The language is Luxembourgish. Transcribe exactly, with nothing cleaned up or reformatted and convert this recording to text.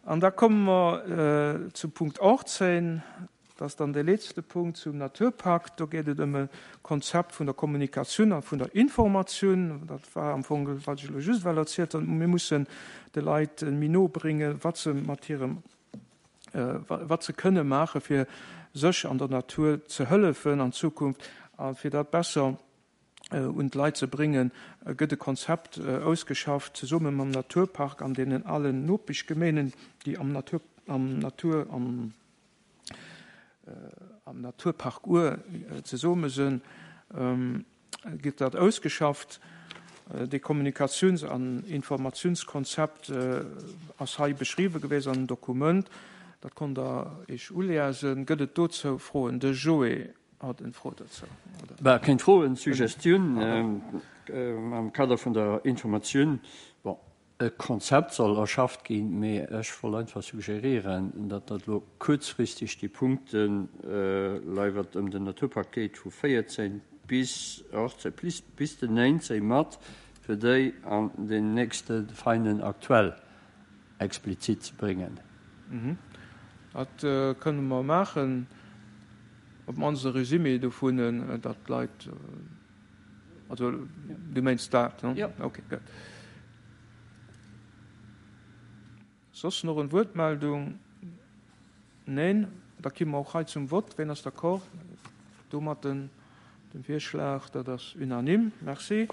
An da komme mer zum Punkt achtzehn, dat ass dann dee letzte Punkt zum Naturpakt. Do geet et ëm e Konzept vun der Kommunikatioun a vun der Informatioun. Dat war am Fong, wat ech elo just ewell erzielt hunn. Mir mussen de Leit méi no bréngen, wat se mat hirem, wat se kënne maachen, fir sech an der Natur ze hëllefen an Zukunft. A fir dat besser un d'Leit ze bréngen, gëtt e Konzept ausgeschafft, zesumme mam Naturpark an deenen allen Nopeschgemeenen, déi am Natur, am Natur, am, am Naturpark Our zesumme sinn, gëtt dat ausgeschafft. Dee Kommunikatiouns- an Informatiounskonzept ass hei beschriwwe gewiescht an dem Dokument. Dat konnt Der Iech uliesen. Gëtt et dozou Froen? De Joé hat eng Fro dozou, oder? Bah, keng Froen, Suggestioun am Kader vun der Informatioun. Bon, e Konzept soll erschafft ginn, mee ech wollt einfach suggerieren, datt dat elo kuerzfristeg déi Punkten, lei wat ëm den Naturpark geet, vu véierzehn bis achtzehn, bis, bis den néinzehn mat, fir déi an den nächste Feinen aktuell explizit ze bréngen. Mhm. Dat kënne mer maachen, op d'mannst e Résumé dovun, datt d'Leit, also du mengs dat, ne? Jo. Okay, gutt. Soss nach en Wuertmeldung? Neen? Da ki mer och hei zum Vott. Ween ass d'accord domat, den, dem Virschlag? Dat ass unanime. Merci.